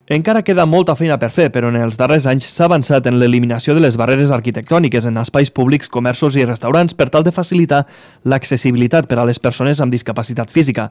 Encara queda molta feina per fer, però en els darrers anys s'ha avançat en l'eliminació de les barreres arquitectòniques en espais públics, comerços i restaurants per tal de facilitar l'accessibilitat per a les persones amb discapacitat física.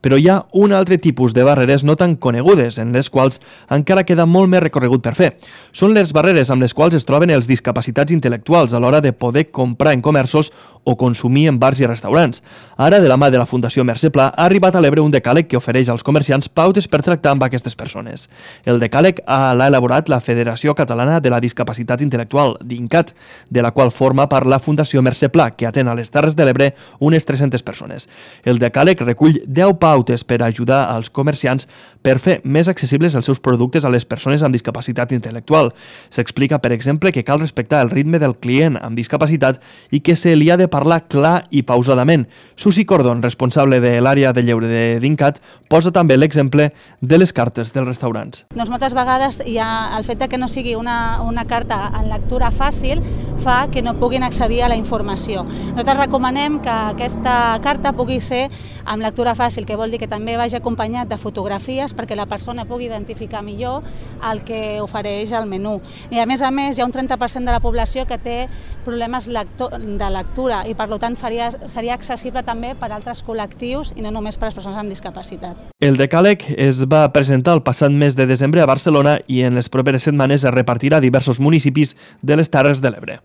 Però hi ha un altre tipus de barreres no tan conegudes, en les quals encara queda molt més recorregut per fer. Són les barreres amb les quals es troben els discapacitats intel·lectuals a l'hora de poder comprar en comerços o consumir en bars i restaurants. Ara, de la mà de la Fundació Mercè Pla, ha arribat a l'Ebre un decàleg que ofereix als comerciants pautes per tractar amb aquestes persones. El decàleg l'ha elaborat la Federació Catalana de la Discapacitat Intel·lectual, DINCAT, de la qual forma part la Fundació Mercè Pla, que atén a les Terres de l'Ebre unes 300 persones. El decàleg recull 10 pautes per ajudar als comerciants per fer més accessibles els seus productes a les persones amb discapacitat intel·lectual. S'explica, per exemple, que cal respectar el ritme del client amb discapacitat i que se li ha de parlar clar i pausadament. Susi Cordon, responsable de l'àrea de lleure de DINCAT, posa també l'exemple de les cartes dels restaurants. Doncs moltes vegades hi ha el fet que no sigui una carta en lectura fàcil fa que no puguin accedir a la informació. Nosaltres recomanem que aquesta carta pugui ser amb lectura fàcil, que vol dir que també vagi acompanyat de fotografies perquè la persona pugui identificar millor el que ofereix el menú. I a més, hi ha un 30% de la població que té problemes de lectura i per tant seria accessible també per a altres col·lectius i no només per a les persones amb discapacitat. El decàleg es va presentar el passat mes de desembre a Barcelona i en les properes setmanes es repartirà a diversos municipis de les Terres de l'Ebre.